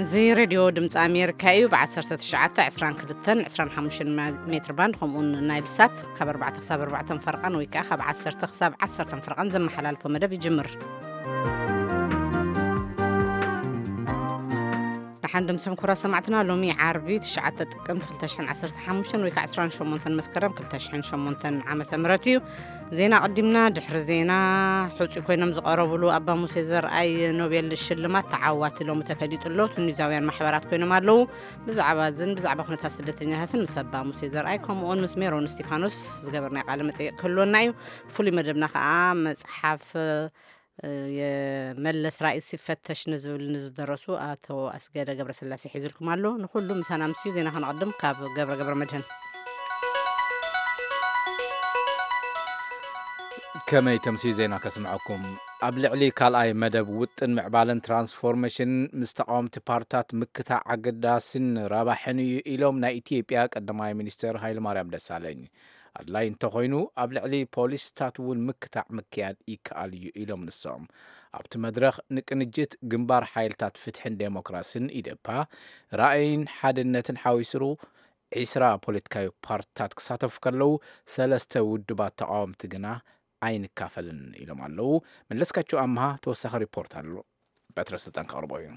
እዚ ሬድዮ ድምፂ ኣሜሪካ እዩ። ብ1922 25 ሜትር ባንድ፣ ከምኡውን ናይል ሳት ካብ ኣርባዕተ ክሳብ ኣርባዕተ ፈርቓን ወይ ከዓ ካብ ዓሰርተ ክሳብ ዓሰርተ ፈርቓን ዘመሓላልፎ መደብ ይጅምር። ደሓን ድምስኹም ክቡራት ሰማዕትና። ሎሚ ዓርቢ ትሽዓተ ጥቅምቲ ክልተ ሽሕን ዓሰርተ ሓሙሽተን ወይ ከዓ ዕስራን ሸሞንተን መስከረም ክልተ ሽሕን ሸሞንተን ዓመተ ምህረት እዩ። ዜና ኣቐዲምና። ድሕሪ ዜና፣ ሕጹይ ኮይኖም ዝቐረብሉ ኣባ ሙሴ ዘርኣይ ኖቤል ሽልማት ተዓዋቲ ሎሚ ተፈሊጡ ኣሎ። ቱኒዛውያን ማሕበራት ኮይኖም ኣለዉ። ብዛዕባ እዝን ብዛዕባ ኩነታት ስደተኛታትን ምስ ኣባ ሙሴ ዘርኣይ ከምኡውን ምስ ሜሮን እስቲፋኖስ ዝገበርናዮ ቃለ መጠይቕ ክህልወና እዩ። ፍሉይ መደብና ከኣ መጽሓፍ የመለስ ራእይ ሲፈተሽ ንዝብል ንዝደረሱ ኣቶ ኣስገደ ገብረስላሴ ሒዙልኩም ኣሎ። ንኹሉ ምሳና ምስዩ። ዜና ከነቐድም ካብ ገብረ ገብረ መድህን። ከመይ ተምሲ ዜና ከስምዐኩም። ኣብ ልዕሊ ካልኣይ መደብ ውጥን ምዕባለን ትራንስፎርሜሽን ምስ ተቃወምቲ ፓርታት ምክታዕ ኣገዳስን ረባሕን እዩ ኢሎም ናይ ኢትዮጵያ ቀዳማይ ሚኒስትር ሃይለማርያም ደሳለኝ። ኣድላይ እንተኾይኑ ኣብ ልዕሊ ፖሊስታት እውን ምክታዕ ምክያድ ይከኣል እዩ ኢሎም ንሶም። ኣብቲ መድረኽ ንቅንጅት ግንባር ሓይልታት ፍትሕን ዴሞክራስን ኢዴፓ ራእይን ሓድነትን ሓዊስሩ ዒስራ ፖለቲካዊ ፓርትታት ክሳተፉ ከለዉ ሰለስተ ውድባት ተቃወምቲ ግና ኣይንካፈልን ኢሎም ኣለዉ። መለስካቸው ኣምሃ ተወሳኺ ሪፖርት ኣሎ። በትረ ስልጣን ከቕርቦ እዩ።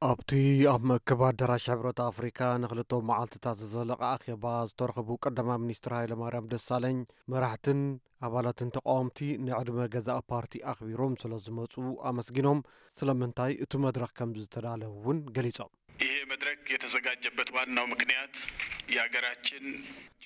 ኣብቲ ኣብ መእከብ ኣዳራሽ ሕብረት ኣፍሪካ ንክልተ መዓልትታት ዝዘለቐ ኣኼባ ዝተረኸቡ ቀዳማይ ሚኒስትር ሃይለማርያም ደሳለኝ፣ መራሕትን ኣባላትን ተቃወምቲ ንዕድመ ገዛእ ፓርቲ ኣኽቢሮም ስለ ዝመፁ ኣመስጊኖም፣ ስለምንታይ እቲ መድረኽ ከም ዝተዳለወ እውን ገሊጾም። ይሄ መድረክ የተዘጋጀበት ዋናው ምክንያት የሀገራችን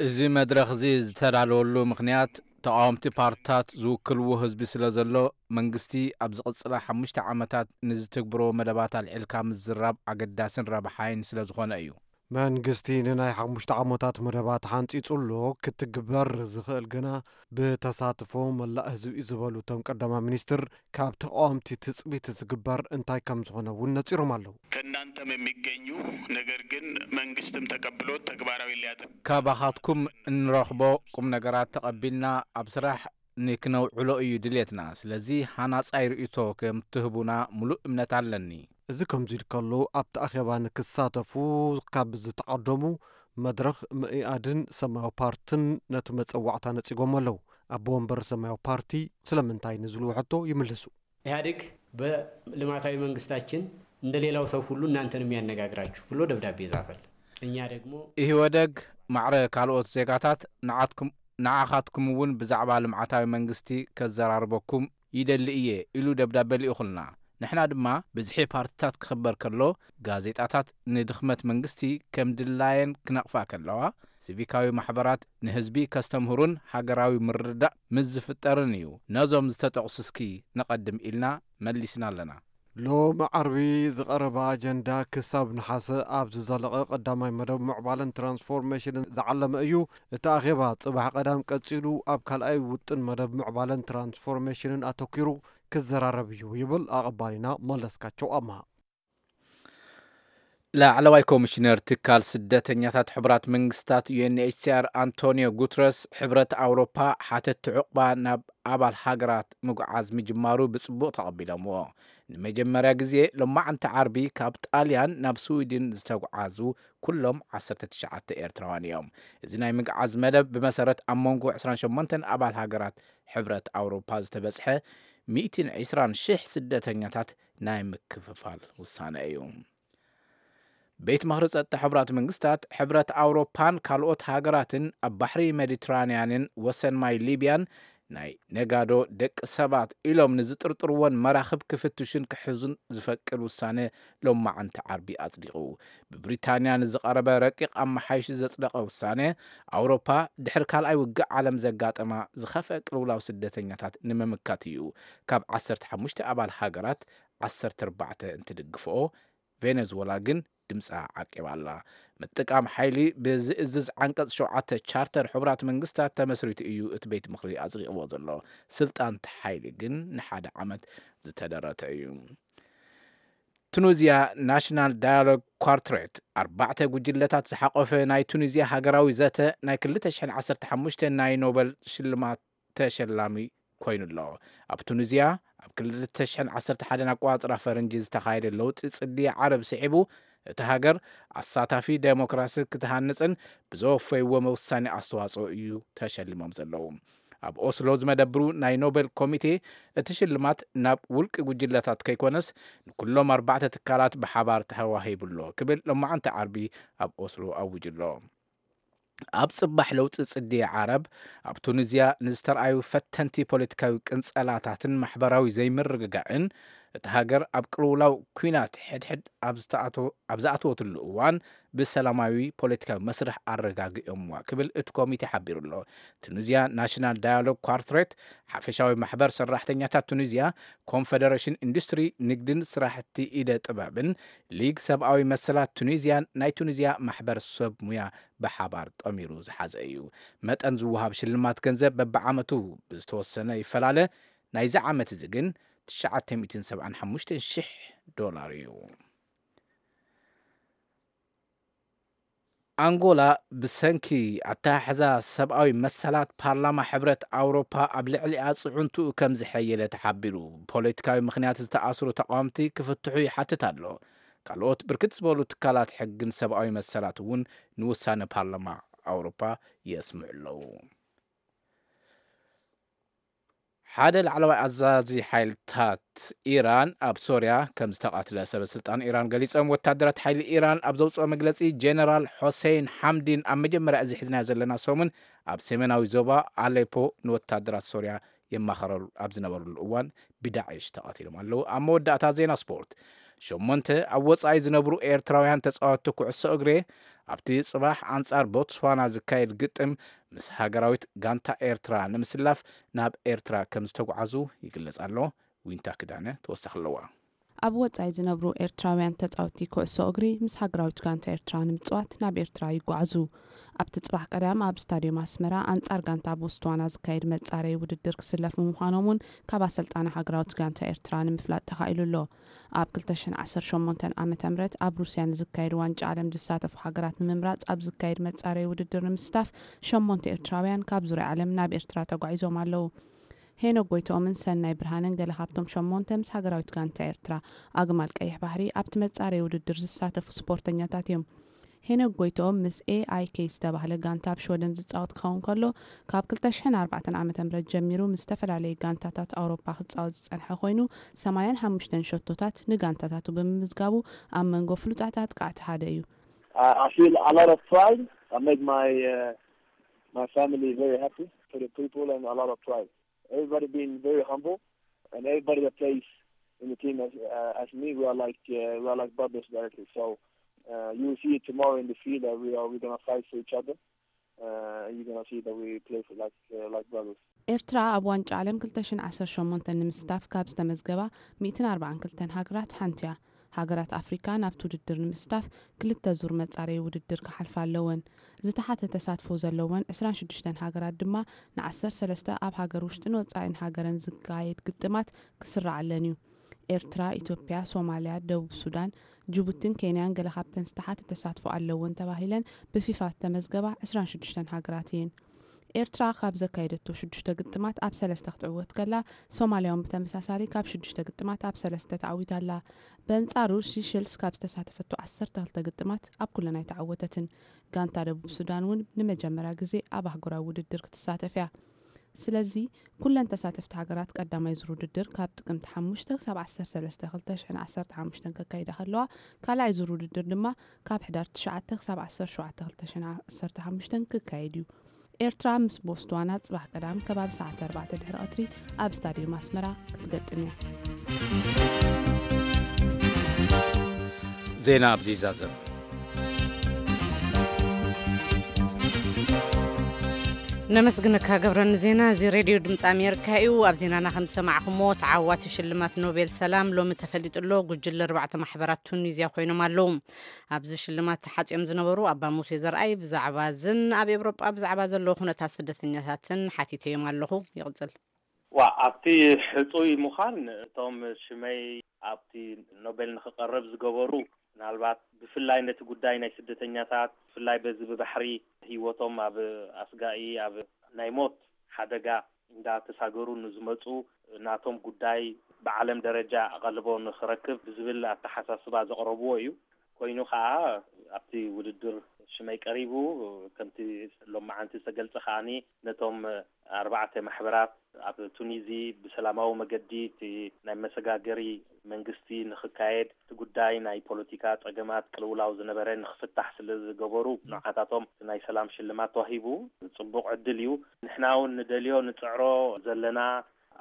እዚ መድረኽ እዚ ዝተዳለወሉ ምክንያት ተቃወምቲ ፓርትታት ዝውክልዎ ህዝቢ ስለ ዘሎ፣ መንግስቲ ኣብ ዝቕጽላ ሓሙሽተ ዓመታት ንዝትግብሮ መደባት ኣልዒልካ ምዝራብ ኣገዳስን ረብሓይን ስለ ዝኾነ እዩ። መንግስቲ ንናይ ሓሙሽተ ዓመታት መደባት ሓንጺጹ ኣሎ፣ ክትግበር ዝኽእል ግና ብተሳትፎ መላእ ህዝቢ እዩ ዝበሉ እቶም ቀዳማይ ሚኒስትር፣ ካብ ተቃወምቲ ትጽቢት ዝግበር እንታይ ከም ዝኾነ እውን ነጺሮም ኣለዉ። ከእናንተም የሚገኙ ነገር ግን መንግስትም ተቀብሎት ተግባራዊ ሊያደርግ ካባኻትኩም እንረኽቦ ቁም ነገራት ተቐቢልና ኣብ ስራሕ ንክነውዕሎ እዩ ድሌትና። ስለዚ ሃናጻይ ርእይቶ ከም ትህቡና ሙሉእ እምነት ኣለኒ። እዚ ከምዚ ኢሉ ከሎ፣ ኣብቲ ኣኼባ ንክሳተፉ ካብ ዝተዓደሙ መድረኽ መኢኣድን ሰማያዊ ፓርትን ነቲ መጸዋዕታ ነጺጎም ኣለዉ። ኣቦ ወንበር ሰማያዊ ፓርቲ ስለምንታይ ንዝብሉ ሕቶ ይምልሱ። ኢህኣዴግ በልማታዊ መንግስታችን እንደ ሌላው ሰው ሁሉ እናንተንም ያነጋግራችሁ ብሎ ደብዳቤ ጻፈል። እኛ ደግሞ ኢህወደግ ማዕረ ካልኦት ዜጋታት ንዓትኩም ንዓኻትኩም እውን ብዛዕባ ልምዓታዊ መንግስቲ ከዘራርበኩም ይደሊ እየ ኢሉ ደብዳቤ ልኢኹልና። ንሕና ድማ ብዝሒ ፓርትታት ክኽበር ከሎ ጋዜጣታት ንድኽመት መንግስቲ ከም ድላየን ክነቕፋ ከለዋ፣ ሲቪካዊ ማሕበራት ንህዝቢ ከስተምህሩን ሃገራዊ ምርድዳእ ምስ ዝፍጠርን እዩ ነዞም ዝተጠቕሱ እስኪ ነቐድም ኢልና መሊስና ኣለና። ሎሚ ዓርቢ ዝቐረበ ኣጀንዳ ክሳብ ነሓሰ ኣብ ዝዘለቐ ቀዳማይ መደብ ምዕባለን ትራንስፎርሜሽንን ዝዓለመ እዩ። እቲ ኣኼባ ጽባሕ ቀዳም ቀጺሉ ኣብ ካልኣይ ውጥን መደብ ምዕባለን ትራንስፎርሜሽንን ኣተኲሩ ክዘራረብ እዩ ይብል ኣቐባሊና መለስካቸው ኣምሃ። ላዕለዋይ ኮሚሽነር ትካል ስደተኛታት ሕቡራት መንግስታት ዩ ኤን ኤች ሲ ኣር ኣንቶኒዮ ጉትረስ፣ ሕብረት ኣውሮፓ ሓተቲ ዑቕባ ናብ ኣባል ሃገራት ምጉዓዝ ምጅማሩ ብጽቡቕ ተቐቢሎምዎ። ንመጀመርያ ግዜ ሎማዕንቲ ዓርቢ ካብ ጣልያን ናብ ስዊድን ዝተጉዓዙ ኩሎም ዓሰርተ ትሽዓተ ኤርትራውያን እዮም። እዚ ናይ ምግዓዝ መደብ ብመሰረት ኣብ መንጎ ዕስራን ሸሞንተን ኣባል ሃገራት ሕብረት ኣውሮፓ ዝተበጽሐ ሚእትን ዕስራን ሽሕ ስደተኛታት ናይ ምክፍፋል ውሳነ እዩ። ቤት ምኽሪ ጸጥታ ሕቡራት መንግስታት፣ ሕብረት ኣውሮፓን ካልኦት ሃገራትን ኣብ ባሕሪ ሜዲትራንያንን ወሰን ማይ ሊብያን ናይ ነጋዶ ደቂ ሰባት ኢሎም ንዝጥርጥርወን መራኽብ ክፍትሹን ክሕዙን ዝፈቅድ ውሳነ ሎማዓንቲ ዓርቢ ኣጽዲቑ። ብብሪታንያ ንዝቐረበ ረቂቕ ኣመሓይሹ ዘጽደቐ ውሳነ፣ ኣውሮፓ ድሕሪ ካልኣይ ውግእ ዓለም ዘጋጠማ ዝኸፍአ ቅልውላው ስደተኛታት ንምምካት እዩ። ካብ ዓሰርተ ሓሙሽተ ኣባል ሃገራት ዓሰርተ ኣርባዕተ እንትድግፍኦ፣ ቬነዝወላ ግን ድምጻ ዓቂባ ኣላ። ምጥቃም ሓይሊ ብዝእዝዝ ዓንቀጽ ሸውዓተ ቻርተር ሕቡራት መንግስታት ተመስሪቱ እዩ እቲ ቤት ምኽሪ ኣጽዲቕዎ ዘሎ። ስልጣን እቲ ሓይሊ ግን ንሓደ ዓመት ዝተደረተ እዩ። ቱኒዝያ ናሽናል ዳያሎግ ኳርትሬት፣ ኣርባዕተ ጉጅለታት ዝሓቆፈ ናይ ቱኒዝያ ሃገራዊ ዘተ ናይ ክልተ ሽሕን ዓሰርተ ሓሙሽተን ናይ ኖበል ሽልማት ተሸላሚ ኮይኑ ኣሎ። ኣብ ቱኒዝያ ኣብ ክልተ ሽሕን ዓሰርተ ሓደን ኣቆጻጽራ ፈረንጂ ዝተኻየደ ለውጢ ጽድያ ዓረብ ስዒቡ፣ እቲ ሃገር ኣሳታፊ ዴሞክራሲ ክትሃንጽን ብዘወፈይዎ መውሳኒ ኣስተዋጽኦ እዩ ተሸሊሞም ዘለዉ። ኣብ ኦስሎ ዝመደብሩ ናይ ኖቤል ኮሚቴ እቲ ሽልማት ናብ ውልቂ ጉጅለታት ከይኮነስ ንኩሎም ኣርባዕተ ትካላት ብሓባር ተዋሂቡሎ ክብል ሎማዓንቲ ዓርቢ ኣብ ኦስሎ ኣውጅሎ። ኣብ ጽባሕ ለውጢ ጽድየ ዓረብ ኣብ ቱኒዝያ ንዝተረኣዩ ፈተንቲ ፖለቲካዊ ቅንጸላታትን ማሕበራዊ ዘይምርግጋእን እቲ ሃገር ኣብ ቅልውላው ኲናት ሕድሕድ ኣብ ዝተኣቶ- ኣብ ዝኣተወትሉ እዋን ብሰላማዊ ፖለቲካዊ መስርሕ ኣረጋጊኦምዋ ክብል እቲ ኮሚቴ ሓቢሩ ኣሎ። ቱኒዝያ ናሽናል ዳያሎግ ኳርትሬት፣ ሓፈሻዊ ማሕበር ሰራሕተኛታት ቱኒዝያ፣ ኮንፈደሬሽን ኢንዱስትሪ፣ ንግድን ስራሕቲ ኢደ ጥበብን፣ ሊግ ሰብኣዊ መሰላት ቱኒዝያን ናይ ቱኒዝያ ማሕበር ሰብ ሙያ ብሓባር ጠሚሩ ዝሓዘ እዩ። መጠን ዝወሃብ ሽልማት ገንዘብ በብዓመቱ ብዝተወሰነ ይፈላለ። ናይዚ ዓመት እዚ ግን ትሽዓተ ሚእትን ሰብዓን ሓሙሽተን ሽሕ ዶላር እዩ። ኣንጎላ ብሰንኪ ኣተሓሕዛ ሰብኣዊ መሰላት ፓርላማ ሕብረት ኣውሮፓ ኣብ ልዕሊኣ ጽዕንትኡ ከም ዝሐየለ ተሓቢሩ። ፖለቲካዊ ምኽንያት ዝተኣስሩ ተቓወምቲ ክፍትሑ ይሓትት ኣሎ። ካልኦት ብርክት ዝበሉ ትካላት ሕግን ሰብኣዊ መሰላት እውን ንውሳነ ፓርላማ ኣውሮፓ የስምዑ ኣለዉ። ሓደ ላዕለዋይ ኣዛዚ ሓይልታት ኢራን ኣብ ሶርያ ከም ዝተቓትለ ሰበ ስልጣን ኢራን ገሊጾም። ወታደራት ሓይሊ ኢራን ኣብ ዘውፅኦ መግለፂ፣ ጀነራል ሆሴይን ሓምዲን ኣብ መጀመርያ እዚ ሒዝናዮ ዘለና ሰሙን ኣብ ሰሜናዊ ዞባ ኣሌፖ ንወታደራት ሶርያ የማኸረሉ ኣብ ዝነበሩሉ እዋን ብዳዕሽ ተቐቲሎም ኣለዉ። ኣብ መወዳእታ ዜና ስፖርት፣ ሸሞንተ ኣብ ወጻኢ ዝነብሩ ኤርትራውያን ተጻወትቲ ኩዕሶ እግሪ ኣብቲ ጽባሕ ኣንጻር ቦትስዋና ዝካየድ ግጥም ምስ ሃገራዊት ጋንታ ኤርትራ ንምስላፍ ናብ ኤርትራ ከም ዝተጓዓዙ ይግለጽ ኣሎ። ዊንታ ክዳነ ተወሳኺ ኣለዋ። ኣብ ወጻኢ ዝነብሩ ኤርትራውያን ተጻወትቲ ኩዕሶ እግሪ ምስ ሃገራዊት ጋንታ ኤርትራ ንምጽዋት ናብ ኤርትራ ይጓዓዙ። ኣብቲ ጽባሕ ቀዳም ኣብ ስታድዮም ኣስመራ ኣንጻር ጋንታ ቦትስዋና ዝካየድ መጻረዪ ውድድር ክስለፉ ምዃኖም እውን ካብ ኣሰልጣኒ ሃገራዊት ጋንታ ኤርትራ ንምፍላጥ ተኻኢሉ ኣሎ። ኣብ ክልተ ሽሕን ዓሰርተ ሸሞንተን ዓመተ ምህረት ኣብ ሩስያ ንዝካየድ ዋንጫ ዓለም ዝሳተፉ ሃገራት ንምምራጽ ኣብ ዝካየድ መጻረዪ ውድድር ንምስታፍ ሸሞንተ ኤርትራውያን ካብ ዙርያ ዓለም ናብ ኤርትራ ተጓዒዞም ኣለዉ። ሄኖክ ጎይትኦምን ሰናይ ብርሃንን ገለ ካብቶም ሸሞንተ ምስ ሃገራዊት ጋንታ ኤርትራ ኣግማል ቀይሕ ባሕሪ ኣብቲ መጻረዪ ውድድር ዝሳተፉ ስፖርተኛታት እዮም። ሄኖክ ጎይትኦም ምስ ኤ ኣይ ኬ ዝተባህለ ጋንታ ኣብ ሽወደን ዝጻወት ክኸውን ከሎ፣ ካብ ክልተ ሽሕን ኣርባዕተን ዓመተ ምህረት ጀሚሩ ምስ ዝተፈላለዩ ጋንታታት ኣውሮፓ ክጻወት ዝጸንሐ ኮይኑ፣ ሰማንያን ሓሙሽተን ሸቶታት ንጋንታታቱ ብምምዝጋቡ ኣብ መንጎ ፍሉጣት ኣጥቃዕቲ ሓደ እዩ። I, I feel a lot of pride. I make my uh, my family very happy for the people and a lot of pride. Everybody being very humble, and everybody that plays in the team as uh, as me, we are like uh, we are like brothers directly. So uh, you will see it tomorrow in the field that we are we're gonna fight for each other. Uh, and you're gonna see that we play for like uh, like brothers. ኤርትራ ኣብ ዋንጫ ዓለም ክልተ ሽሕን ዓሰርተ ሸሞንተ ንምስታፍ ካብ ዝተመዝገባ ሚእትን ኣርባዓን ክልተን ሃገራት ሓንቲ እያ። ሃገራት ኣፍሪካ ናብቲ ውድድር ንምስታፍ ክልተ ዙር መጻረዪ ውድድር ክሓልፋ ኣለወን። ዝተሓተ ተሳትፎ ዘለወን ዕስራን ሽዱሽተን ሃገራት ድማ ንዓሰርተ ሰለስተ ኣብ ሃገር ውሽጥን ወጻኢን ሃገረን ዝካየድ ግጥማት ክስራዓለን እዩ። ኤርትራ፣ ኢትዮጵያ፣ ሶማልያ፣ ደቡብ ሱዳን፣ ጅቡቲን ኬንያን ገለ ካብተን ዝተሓተ ተሳትፎ ኣለወን ተባሂለን ብፊፋ ዝተመዝገባ ዕስራን ሽዱሽተን ሃገራት እየን። ኤርትራ ካብ ዘካየደቶ ሽዱሽተ ግጥማት ኣብ ሰለስተ ክትዕወት ከላ፣ ሶማልያ እውን ብተመሳሳሊ ካብ ሽዱሽተ ግጥማት ኣብ ሰለስተ ተዓዊታ ኣላ። በንጻሩ፣ ሲሸልስ ካብ ዝተሳተፈቶ ዓሰርተ ክልተ ግጥማት ኣብ ኩለን ኣይተዓወተትን። ጋንታ ደቡብ ሱዳን እውን ንመጀመርያ ግዜ ኣብ ኣህጉራዊ ውድድር ክትሳተፍ እያ። ስለዚ ኩለን ተሳተፍቲ ሃገራት ቀዳማይ ዙር ውድድር ካብ ጥቅምቲ ሓሙሽተ ክሳብ ዓሰርተ ሰለስተ ክልተ ሽሕን ዓሰርተ ሓሙሽተን ከካይዳ ከለዋ፣ ካልኣይ ዙር ውድድር ድማ ካብ ሕዳር ትሽዓተ ክሳብ ዓሰርተ ሸውዓተ ክልተ ሽሕን ዓሰርተ ሓሙሽተን ክካየድ እዩ። ኤርትራ ምስ ቦትስዋና ጽባሕ ቀዳም ከባቢ ሰዓት ኣርባዕተ ድሕሪ ቀትሪ ኣብ ስታድዮም ኣስመራ ክትገጥም እያ። ዜና ኣብዚ ይዛዘም። ነመስግነካ ገብረ ንዜና። እዚ ሬድዮ ድምፂ ኣሜሪካ እዩ። ኣብ ዜናና ከም ዝሰማዕኹሞ፣ ተዓዋቲ ሽልማት ኖቤል ሰላም ሎሚ ተፈሊጡ ኣሎ። ጉጅለ ኣርባዕተ ማሕበራት ቱኒዝያ ኮይኖም ኣለዉ። ኣብዚ ሽልማት ተሓፂኦም ዝነበሩ ኣባ ሙሴ ዘርኣይ ብዛዕባ ዝን ኣብ ኤውሮጳ ብዛዕባ ዘለዉ ኩነታት ስደተኛታትን ሓቲተዮም ኣለኹ። ይቕፅል። ዋ ኣብቲ ሕጹይ ምዃን እቶም ሽመይ ኣብቲ ኖቤል ንክቐርብ ዝገበሩ፣ ምናልባት ብፍላይ ነቲ ጉዳይ ናይ ስደተኛታት፣ ብፍላይ በዚ ብባሕሪ ህይወቶም ኣብ ኣስጋኢ ኣብ ናይ ሞት ሓደጋ እንዳተሳገሩ ንዝመጹ ናቶም ጉዳይ ብዓለም ደረጃ ኣቐልቦ ንክረክብ ብዝብል ኣተሓሳስባ ዘቕረብዎ እዩ። ኮይኑ ከዓ ኣብቲ ውድድር ሽመይ ቀሪቡ፣ ከምቲ ሎማዓንቲ ዝተገልጸ ከዓኒ ነቶም ኣርባዕተ ማሕበራት ኣብ ቱኒዚ ብሰላማዊ መገዲ እቲ ናይ መሰጋገሪ መንግስቲ ንኽካየድ፣ እቲ ጉዳይ ናይ ፖለቲካ ጸገማት ቅልውላው ዝነበረ ንኽፍታሕ ስለ ዝገበሩ፣ ንዓታቶም ናይ ሰላም ሽልማት ተዋሂቡ። ጽቡቕ ዕድል እዩ። ንሕና እውን ንደልዮ ንጽዕሮ ዘለና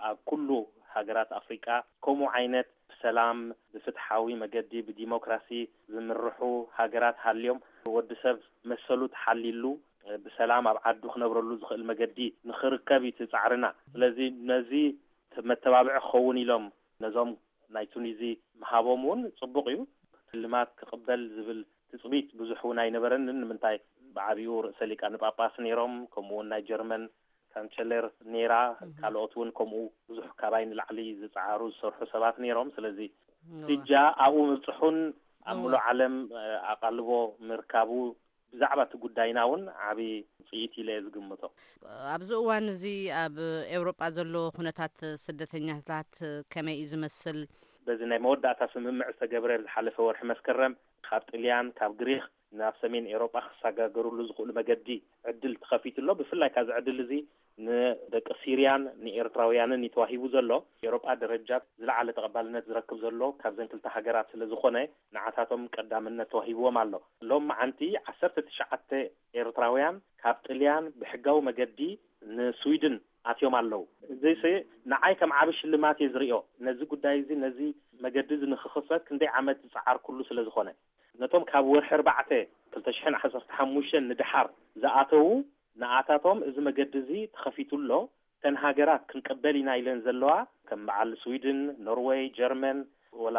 ኣብ ኩሉ ሃገራት ኣፍሪቃ ከምኡ ዓይነት ብሰላም፣ ብፍትሓዊ መገዲ፣ ብዲሞክራሲ ዝምርሑ ሃገራት ሃልዮም፣ ወዲ ሰብ መሰሉ ተሓልይሉ ብሰላም ኣብ ዓዱ ክነብረሉ ዝኽእል መገዲ ንኽርከብ እዩ እቲ ጻዕርና። ስለዚ ነዚ መተባብዒ ክኸውን ኢሎም ነዞም ናይ ቱኒዚ ምሃቦም እውን ጽቡቕ እዩ። ሽልማት ክቕበል ዝብል ትጽቢት ብዙሕ እውን ኣይነበረንን። ንምንታይ፣ ብዓቢኡ ርእሰ ሊቃነ ጳጳስ ነይሮም፣ ከምኡ እውን ናይ ጀርመን ካንቸለር ነይራ፣ ካልኦት እውን ከምኡ ብዙሕ ካባይ ንላዕሊ ዝጸዓሩ ዝሰርሑ ሰባት ነይሮም። ስለዚ እዋ። ስጃ ኣብኡ ምብጽሑን ኣብ እዋ። ምሉእ ዓለም፣ እ፣ ኣቓልቦ ምርካቡ ብዛዕባ እቲ ጉዳይና እውን ዓቢ ውጽኢት ኢለ እየ ዝግምቶ። ኣብዚ እዋን እዚ ኣብ ኤውሮጳ ዘሎ ኩነታት ስደተኛታት ከመይ እዩ ዝመስል? በዚ ናይ መወዳእታ ስምምዕ ዝተገብረ ዝሓለፈ ወርሒ መስከረም ካብ ጥልያን፣ ካብ ግሪኽ ናብ ሰሜን ኤውሮጳ ክሰጋገሩሉ ዝኽእሉ መገዲ ዕድል ተኸፊቱ ኣሎ። ብፍላይ ካብዚ ዕድል እዚ ንደቂ ሲርያን ንኤርትራውያንን እዩ ተዋሂቡ ዘሎ። ኤውሮጳ ደረጃ ዝለዓለ ተቐባልነት ዝረክብ ዘሎ ካብዘን ክልተ ሃገራት ስለ ዝኾነ ንዓታቶም ቀዳምነት ተዋሂብዎም ኣሎ። ሎም መዓንቲ ዓሰርተ ትሽዓተ ኤርትራውያን ካብ ጥልያን ብሕጋዊ መገዲ ንስዊድን ኣትዮም ኣለዉ። እዚስ ንዓይ ከም ዓቢ ሽልማት እየ ዝርእዮ። ነዚ ጉዳይ እዚ፣ ነዚ መገዲ እዚ ንኽኽፈት ክንደይ ዓመት ዝጸዓርኩሉ ስለ ዝኾነ። ነቶም ካብ ወርሒ ኣርባዕተ ክልተ ሽሕን ዓሰርተ ሓሙሽተን ንደሓር ዝኣተዉ፣ ንኣታቶም እዚ መገዲ እዚ ተኸፊቱ ኣሎ። እተን ሃገራት ክንቀበል ኢና ኢለን ዘለዋ፣ ከም በዓል ስዊድን፣ ኖርወይ፣ ጀርመን፣ ወላ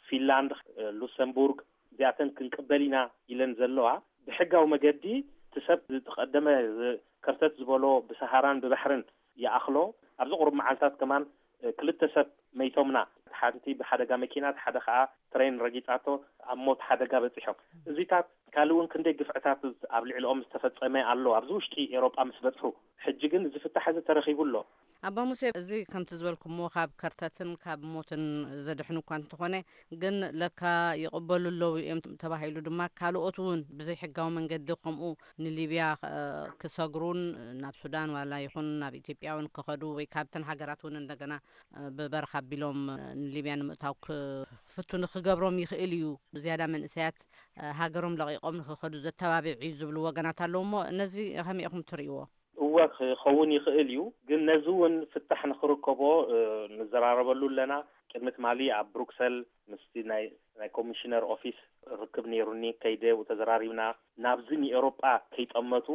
ፊንላንድ፣ ሉክሰምቡርግ፣ እዚኣተን ክንቀበል ኢና ኢለን ዘለዋ፣ ብሕጋዊ መገዲ እቲ ሰብ ዝተቐደመ ዝ-፣ ከርተት ዝበሎ ብሰሃራን ብባሕርን ይኣኽሎ። ኣብዚ ቁሩብ መዓልታት ከማን፣ እ፣ ክልተ ሰብ መይቶምና። ሓንቲ ብሓደጋ መኪና፣ እቲ ሓደ ከኣ ትሬን ረጊጻቶ ኣብ ሞት ሓደጋ በጺሖም። እዚታት ካልእ እውን ክንደይ ግፍዕታት ኣብ ልዕሊኦም ዝተፈጸመ ኣሎ፣ ኣብዚ ውሽጢ ኤውሮጳ ምስ በጽሑ። ሕጂ ግን እዚ ፍታሕ እዚ ተረኺቡ ኣሎ። ኣባ ሙሴ፣ እዚ ከምቲ ዝበልኩሞ ካብ ከርተትን ካብ ሞትን ዘድሕኑ እኳ እንተኾነ፣ ግን ለካ ይቕበሉ ኣለዉ እዮም ተባሂሉ ድማ ካልኦት እውን ብዘይሕጋዊ መንገዲ ከምኡ ንሊብያ፣ እ፣ ክሰግሩን ናብ ሱዳን ዋላ ይኹን ናብ ኢትዮጵያ እውን ክኸዱ ወይ ካብተን ሃገራት እውን እንደገና፣ እ፣ ብበረኻ ኣቢሎም፣ እ፣ ንሊብያ ንምእታው ክፍትኑ ክገብሮም ይኽእል እዩ። ብዝያዳ መንእሰያት፣ እ፣ ሃገሮም ለቒቖም ንክኸዱ ዘተባብዕ እዩ ዝብሉ ወገናት ኣለዉ እሞ ነዚ ከመይ ኢኹም ትርእይዎ? እወ፣ ክኸውን ይኽእል እዩ። ግን ነዚ እውን ፍታሕ ንኽርከቦ፣ እ፣ ንዘራረበሉ ኣለና። ቅድሚ ትማሊ ኣብ ብሩክሰል ምስቲ ናይ፣ ናይ ኮሚሽነር ኦፊስ ርክብ ነይሩኒ። ከይደ ተዘራሪብና። ናብዚ ንኤውሮጳ ከይጠመቱ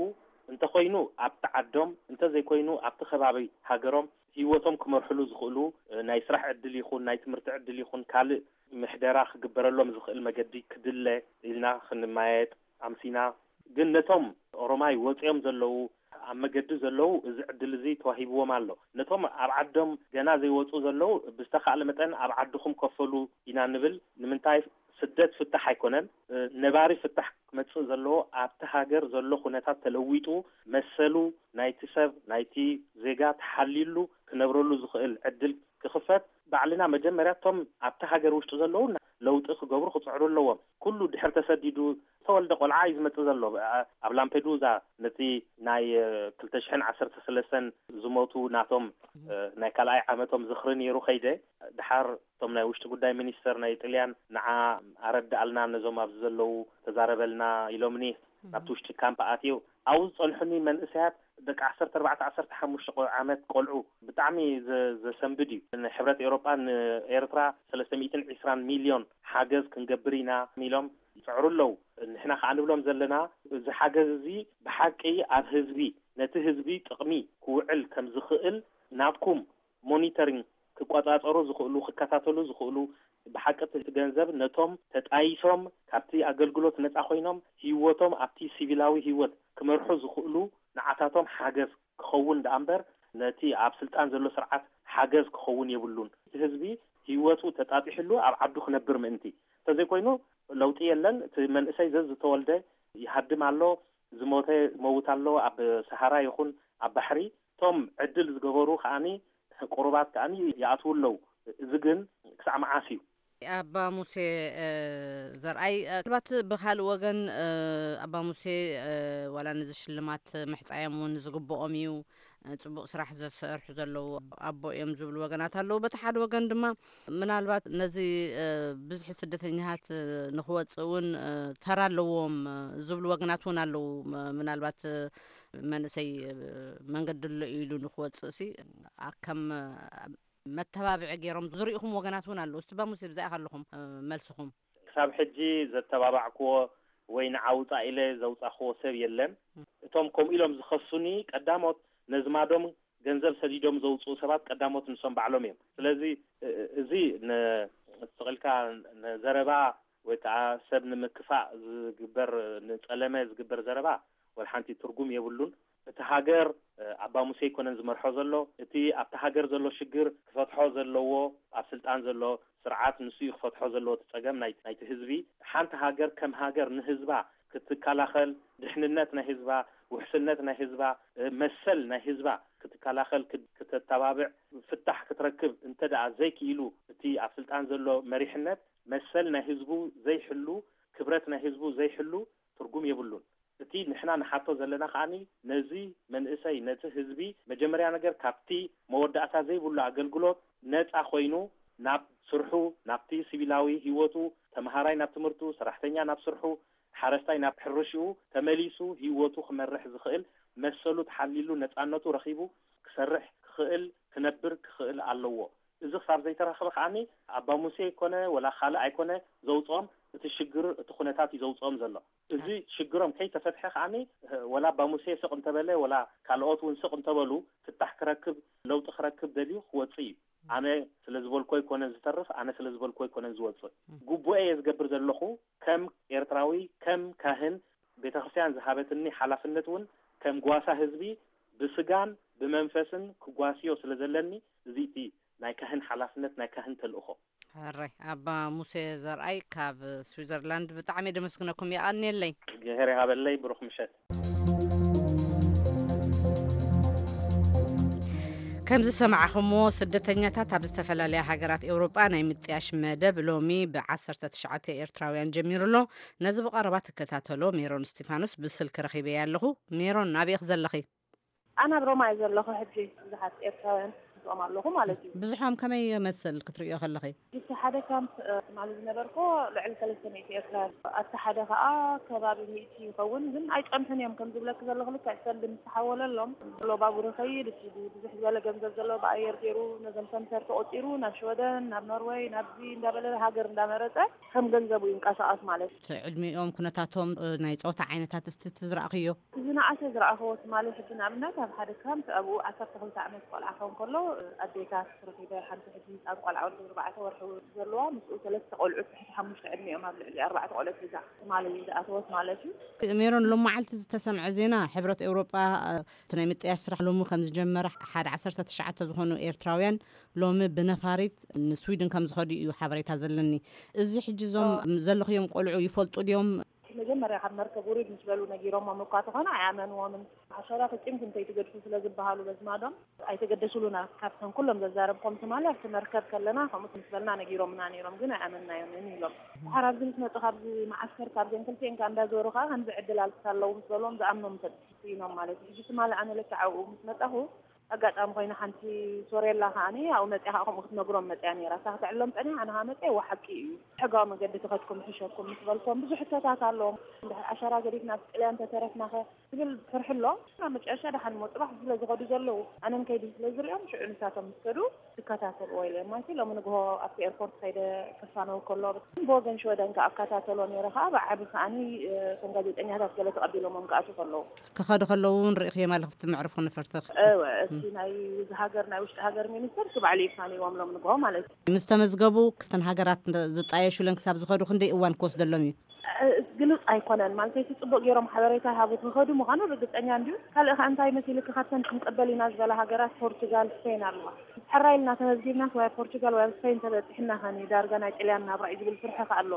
እንተኾይኑ ኣብቲ ዓዶም፣ እንተዘይኮይኑ ኣብቲ ከባቢ ሃገሮም ህይወቶም ክመርሕሉ ዝኽእሉ፣ እ፣ ናይ ስራሕ ዕድል ይኹን ናይ ትምህርቲ ዕድል ይኹን ካልእ ምሕደራ ክግበረሎም ዝኽእል መገዲ ክድለ ኢልና ክንመያየጥ ኣምሲና። ግን ነቶም ኦሮማይ ወፂኦም ዘለዉ፣ ኣብ መገዲ ዘለዉ፣ እዚ ዕድል እዚ ተዋሂብዎም ኣሎ። ነቶም ኣብ ዓዶም ገና ዘይወፁ ዘለዉ፣ ብዝተኻእለ መጠን ኣብ ዓድኹም ከፈሉ ኢና ንብል። ንምንታይ? ስደት ፍታሕ ኣይኮነን። እ፣ ነባሪ ፍታሕ ክመጽእ ዘለዎ ኣብቲ ሃገር ዘሎ ኩነታት ተለዊጡ፣ መሰሉ ናይቲ ሰብ፣ ናይቲ ዜጋ ተሓልዩሉ ክነብረሉ ዝኽእል ዕድል ክኽፈት፣ ባዕልና መጀመርያ እቶም ኣብቲ ሃገር ውሽጢ ዘለዉ ለውጢ ክገብሩ ክጽዕሩ ኣለዎም። ኩሉ ድሕር ተሰዲዱ ዝተወልደ ቆልዓ እዩ ዝመጽእ ዘሎ። ኣ-፣ ኣብ ላምፔዱዛ ነቲ ናይ፣ እ፣ ክልተ ሽሕን ዓሰርተ ሰለስተን ዝሞቱ ናቶም፣ እ፣ ናይ ካልኣይ ዓመቶም ዝኽሪ ነይሩ ከይደ። ድሓር እቶም ናይ ውሽጢ ጉዳይ ሚኒስተር ናይ ጥልያን ንዓ ኣረድኣልና፣ ነዞም ኣብዚ ዘለዉ ተዛረበልና ኢሎምኒ። ናብቲ ውሽጢ ካምፕ ኣትየው ኣብኡ ዝጸንሑኒ መንእሰያት ደቂ ዓሰርተ ኣርባዕተ ዓሰርተ ሓሙሽተ ቆ-፣ ዓመት ቆልዑ ብጣዕሚ ዘ-፣ ዘሰንብድ እዩ። ንሕብረት ኤውሮጳ ንኤርትራ ሰለስተ ሚእትን ዕስራን ሚልዮን ሓገዝ ክንገብር ኢና ኢሎም ይጽዕሩ ኣለዉ። ንሕና ከኣ ንብሎም ዘለና እዚ ሓገዝ እዚ ብሓቂ ኣብ ህዝቢ፣ ነቲ ህዝቢ ጥቕሚ ክውዕል ከም ዝኽእል ናትኩም ሞኒተሪንግ ክቆጻጸሩ ዝኽእሉ፣ ክከታተሉ ዝኽእሉ፣ ብሓቂ እቲ ገንዘብ ነቶም ተጣይሶም ካብቲ ኣገልግሎት ነጻ ኮይኖም ህይወቶም ኣብቲ ሲቪላዊ ህይወት ክመርሑ ዝኽእሉ ንዓታቶም ሓገዝ ክኸውን ደኣ እምበር ነቲ ኣብ ስልጣን ዘሎ ስርዓት ሓገዝ ክኸውን የብሉን። እቲ ህዝቢ ህይወቱ ተጣጢሕሉ ኣብ ዓዱ ክነብር ምእንቲ። እንተዘይኮይኑ ለውጢ የለን። እቲ መንእሰይ ዘዝተወልደ ይሃድም ኣሎ፣ ዝሞተ ይመውት ኣሎ፣ ኣብ ሰሃራ ይኹን ኣብ ባሕሪ። እቶም ዕድል ዝገበሩ ከኣኒ ቁሩባት ከኣኒ ይኣትዉ ኣለዉ። እዚ ግን ክሳዕ መዓስ እዩ? ኣባ ሙሴ፣ እ፣ ዘርኣይ፣ እ፣ ምናልባት ብኻልእ ወገን፣ እ፣ ኣባ ሙሴ፣ እ፣ ዋላ ነዚ ሽልማት ምሕጻዮም እውን ዝግብኦም እዩ፣ እ፣ ጽቡቕ ስራሕ ዘሰርሑ ዘለዉ ኣቦ እዮም ዝብሉ ወገናት ኣለዉ። በቲ ሓደ ወገን ድማ ምናልባት ነዚ፣ እ፣ ብዝሒ ስደተኛታት፣ እ፣ ንኽወጽእ እውን፣ እ፣ ተራ ኣለዎም፣ እ፣ ዝብሉ ወገናት እውን ኣለዉ። ም-፣ ምናልባት፣ እ፣ መንእሰይ፣ እ፣ መንገዲ ኣሎ ኢሉ ንኽወጽእ ሲ፣ ኣ-፣ ከም፣ እ፣ መተባብዒ ገይሮም ዝርእኹም ወገናት እውን ኣለዉ። እስቲ ኣባ ሙሴ፣ ብዛይ ከለኹም፣ እ፣ መልስኹም? ክሳብ ሕጂ ዘተባባዕክዎ ወይ ንዓውጻ ኢለ ዘውጻኽዎ ሰብ የለን። እቶም ከምኡ ኢሎም ዝኸሱኒ ቀዳሞት ነዝማዶም ገንዘብ ሰዲዶም ዘውጽኡ ሰባት ቀዳሞት ንሶም ባዕሎም እዮም። ስለዚ እ-፣ እ-፣ እዚ ን-፣ ስቕ ኢልካ ንዘረባ ወይ ከዓ ሰብ ንምክፋእ ዝግበር፣ ንጸለመ ዝግበር ዘረባ ወላ ሓንቲ ትርጉም የብሉን። እቲ ሃገር፣ እ፣ ኣባ ሙሴ ኣይኮነን ዝመርሖ ዘሎ። እቲ ኣብቲ ሃገር ዘሎ ሽግር ክፈትሖ ዘለዎ፣ ኣብ ስልጣን ዘሎ ስርዓት ንሱ እዩ ክፈትሖ ዘለዎ እቲ ጸገም ናይ፣ ናይቲ ህዝቢ። ሓንቲ ሃገር ከም ሃገር ንህዝባ ክትከላኸል፣ ድሕንነት ናይ ህዝባ፣ ውሕስነት ናይ ህዝባ፣ እ፣ መሰል ናይ ህዝባ ክትከላኸል፣ ክት-፣ ክተተባብዕ፣ ፍታሕ ክትረክብ እንተ ደኣ ዘይክኢሉ፣ እቲ ኣብ ስልጣን ዘሎ መሪሕነት መሰል ናይ ህዝቡ ዘይሕሉ፣ ክብረት ናይ ህዝቡ ዘይሕሉ ትርጉም የብሉን። እቲ ንሕና ንሓቶ ዘለና ከኣኒ ነዚ መንእሰይ፣ ነቲ ህዝቢ መጀመርያ ነገር ካብቲ መወዳእታ ዘይብሉ ኣገልግሎት ነጻ ኮይኑ ናብ ስርሑ፣ ናብቲ ሲቪላዊ ህይወቱ፣ ተመሃራይ ናብ ትምህርቱ፣ ሰራሕተኛ ናብ ስርሑ፣ ሓረስታይ ናብ ሕርሽኡ ተመሊሱ ህይወቱ ክመርሕ ዝኽእል መሰሉ ተሓሊሉ ነጻነቱ ረኺቡ ክሰርሕ ክኽእል ክነብር ክኽእል ኣለዎ። እዚ ክሳብ ዘይተረኽበ ከኣኒ ኣባ ሙሴ ኣይኮነ ወላ ካልእ ኣይኮነ ዘውፅኦም፣ እቲ ሽግር እቲ ኩነታት እዩ ዘውፅኦም ዘሎ። እዚ ሽግሮም ከይተፈትሐ ከኣኒ ወላ ኣባ ሙሴ ስቕ እንተበለ ወላ ካልኦት እውን ስቕ እንተበሉ ፍታሕ ክረክብ ለውጢ ክረክብ ደልዩ ክወፅእ እዩ። ኣነ ስለ ዝበልኮ ኣይኮነን ዝተርፍ፣ ኣነ ስለ ዝበልኮ ኣይኮነን ዝወፅእ። ግቡኤ እየ ዝገብር ዘለኹ ከም ኤርትራዊ፣ ከም ካህን፣ ቤተክርስትያን ዝሃበትኒ ሓላፍነት እውን ከም ጓሳ ህዝቢ ብስጋን ብመንፈስን ክጓስዮ ስለ ዘለኒ፣ እዚ እቲ ናይ ካህን ሓላፍነት፣ ናይ ካህን ተልእኾ። ሕራይ ኣባ ሙሴ ዘርኣይ ካብ ስዊዘርላንድ ብጣዕሚ ደመስግነኩም። የቐንየለይ። እግዚኣብሔር ይሃበለይ። ብሩኽ ምሸት። ከም ዝሰማዕኹምዎ፣ ስደተኛታት ኣብ ዝተፈላለያ ሃገራት ኤውሮጳ ናይ ምጥያሽ መደብ ሎሚ ብ19 ኤርትራውያን ጀሚሩ ኣሎ። ነዚ ብቐረባ ትከታተሎ ሜሮን እስቲፋኖስ ብስልኪ ረኺበያ ኣለኹ። ሜሮን፣ ኣበይ ኢኺ ዘለኺ? ኣነ ኣብ ሮማ እየ ዘለኹ ሕጂ። ብዙሓት ኤርትራውያን ምስኦም ኣለኹ ማለት እዩ። ብዝሖም ከመይ ይመስል ክትርእዮ ከለኺ? እቲ ሓደ ካምፕ፣ እ፣ ትማሊ ዝነበርኩ ልዕሊ ሰለስተ ሚእቲ ኤርትራውያን። ኣብቲ ሓደ ከኣ ከባቢ ሚእቲ ይኸውን፣ ግን ኣይጸንሑን እዮም። ከም ዝብለኪ ዘለኹ ልክዕ ሰልዲ ምስ ተሓወለሎም ዘሎ ባቡር ይኸይድ፣ እቲ ብዙሕ ዝበለ ገንዘብ ዘለዎ ብኣየር ገይሩ ነዞም ሰምሰር ተቖጺሩ ናብ ሽወደን፣ ናብ ኖርወይ፣ ናብዚ እንዳበለ ሃገር እንዳመረጸ ከም ገንዘቡ ይንቀሳቐስ ማለት እዩ። እቲ ዕድሚኦም፣ ኩነታቶም፣ እ፣ ናይ ጾታ ዓይነታት እስቲ እቲ ዝረኣኽዮ? ዝነኣሰ ዝረኣኽዎ ትማሊ ሕጂ ንኣብነት ኣብ ሓደ ካምፕ ኣብኡ ዓሰርተ ክልተ ዓመት ቆልዓ ክኸውን ከሎ፣ ኣዴታት ረኺበ፣ ሓንቲ ሕጂ ህፃን ቆልዓ ወዲ ኣርባዕተ ወርሒ ዘለዋ፣ ምስኡ ሰለስተ ቆልዑት ትሕቲ ሓሙሽተ ዕድሚኦም ኣብ ልዕሊ ኣርባዕተ ቆልዑት ሒዛ ትማሊ ዝኣተወት ማለት እዩ። ሜሮን፣ ሎም መዓልቲ ዝተሰምዐ ዜና፣ ሕብረት ኤውሮጳ፣ እ፣ እቲ ናይ ምጥያሽ ስራሕ ሎሚ ከም ዝጀመረ፣ ሓደ ዓሰርተ ትሽዓተ ዝኾኑ ኤርትራውያን ሎሚ ብነፋሪት ንስዊድን ከም ዝኸዱ እዩ ሓበሬታ ዘለኒ። እዚ ሕጂ እዞም ዘለኽዮም ቆልዑ ይፈልጡ ድዮም? መጀመርያ ካብ መርከብ ውሪድ ምስ በሉ ነጊሮሞም እኳ ተኾነ ኣይኣመንዎምን። ሓሸራ ፈጺምኩም ከይትገድፉ ስለ ዝበሃሉ በዝማዶም ኣይተገደሱሉና። ካብተን ኩሎም ዘዛረብኮም ትማሊ ኣብቲ መርከብ ከለና ከምኡ ምስ በልና ነጊሮምና ነይሮም፣ ግን ኣይኣመንናዮምን ኢሎም። ድሓር ኣብዚ ምስ መጹ ካብዚ መዓስከር ካብዘን ክልቲኤን ከኣ እንዳዞሩ ከኣ ከምዚ ዕድል ኣልክሳ ኣለዉ ምስ በልዎም ዝኣምኖም ሰብ ስኢኖም ማለት እዩ። ሕጂ ትማሊ ኣነ ልክዕ ኣብኡ ምስ መጻኹ ኣጋጣሚ ኮይና ሓንቲ ሶሬላ ከኣኒ ኣብኡ መጽያ ከኣ ከምኡ ክትነግሮም መጽያ ነይራ። እሳ ክተዕልሎም ጸኒሓ፣ ኣነ ከኣ መጽየ፣ እዋ ሓቂ እዩ። ሕጋዊ መገዲ ተኸድኩም ይሕሸኩም ምስ በልኩም ብዙሕ ሕቶታት ኣለዎም። እንድሕር ዓሸራ ገዲፍና ኣብ ጥልያን ተተረፍናኸ? ዝብል ፍርሒ ኣሎ። ኣብ መጨረሻ ደሓን እሞ ጽባሕ ስለ ዝኸዱ ዘለዉ ኣነን ከይዲ ስለ ዝሪኦም ሽዑ ንሳቶም ምስ ከዱ ዝከታተልዎ ኢለ ማለት እዩ። ሎሚ ንግሆ ኣብቲ ኤርፖርት ከይደ ክፋነው ከሎ ብወገን ሽወደን ከኣ ኣከታተሎ ነይረ ከኣ ብዓቢ ከኣኒ፣ እ፣ ከም ጋዜጠኛታት ገለ ተቐቢሎሞም ክኣትዉ ከለዉ። ክኸዱ ከለዉ እውን ርኢኽዮም ኣለኺ ኣብቲ መዕርፎ ነፈርቲ? እወ፣ እቲ ናይ እዚ ሃገር ናይ ውሽጢ ሃገር ሚኒስተር እቲ ባዕሉ ይፋነይዎም ሎም ንግሆ ማለት እዩ። ምስ ተመዝገቡ ክስተን ሃገራት ዝጣየሹለን ክሳብ ዝኸዱ ክንደይ እዋን ክወስደሎም እዩ? ግልጽ ኣይኮነን ማለት እቲ ጽቡቅ ገይሮም ሓበሬታ ይሃቡ ክኸዱ ምዃኑ ርግጸኛ እንድዩ። ካልእ ከ እንታይ መሲልክ ካብተን ክንቀበል ኢና ዝበላ ሃገራት ፖርቹጋል፣ ስፔን ኣለዋ። ሕራይ ኢልና ተመዝጊብናስ ወይ ኣብ ፖርቹጋል ወይ ኣብ ስፔን ተበጺሕና ከኒ ዳርጋ ናይ ጥልያን ናብራ እዩ ዝብል ፍርሒ ከ ኣሎ።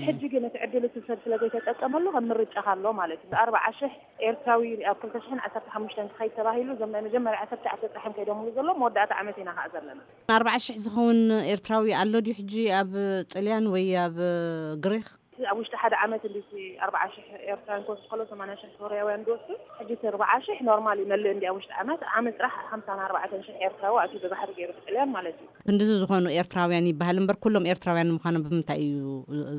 ሕጂ ግን እቲ ዕድል እቲ ሰብ ስለ ዘይተጠቀመሉ ከም ምርጫ ኣሎ ማለት እዩ። ኣርባዓ ሽሕ ኤርትራዊ ኣብ ክልተ ሽሕን ዓሰርተ ሓሙሽተን ክኸይድ ተባሂሉ እዞም ናይ መጀመርያ ዓሰርተ ትሽዓተ ጥራሕ እዮም ከይዶምሉ ዘሎ መወዳእታ ዓመት ኢና ከኣ ዘለና። ኣርባዓ ሽሕ ዝኸውን ኤርትራዊ ኣሎ ድዩ ሕጂ ኣብ ጥልያን ወይ ኣብ ግሪኽ? ኣብ ውሽጢ ሓደ ዓመት እንዲ ኣርባዓ ሽሕ ኤርትራውያን ክወስድ ከሎ ሰማንያ ሽሕ ሶርያውያን ዝወስዱ ሕጂ እቲ ኣርባዓ ሽሕ ኖርማል ይመልእ እንዲ ኣብ ውሽጢ ዓመት ዓመት ጥራሕ ሓምሳን ኣርባዕተን ሽሕ ኤርትራዊ ኣትዩ ብባሕሪ ገይሩ ጥልያን ማለት እዩ። ክንድዚ ዝኾኑ ኤርትራውያን ይበሃል እምበር ኩሎም ኤርትራውያን ምዃኖም ብምንታይ እዩ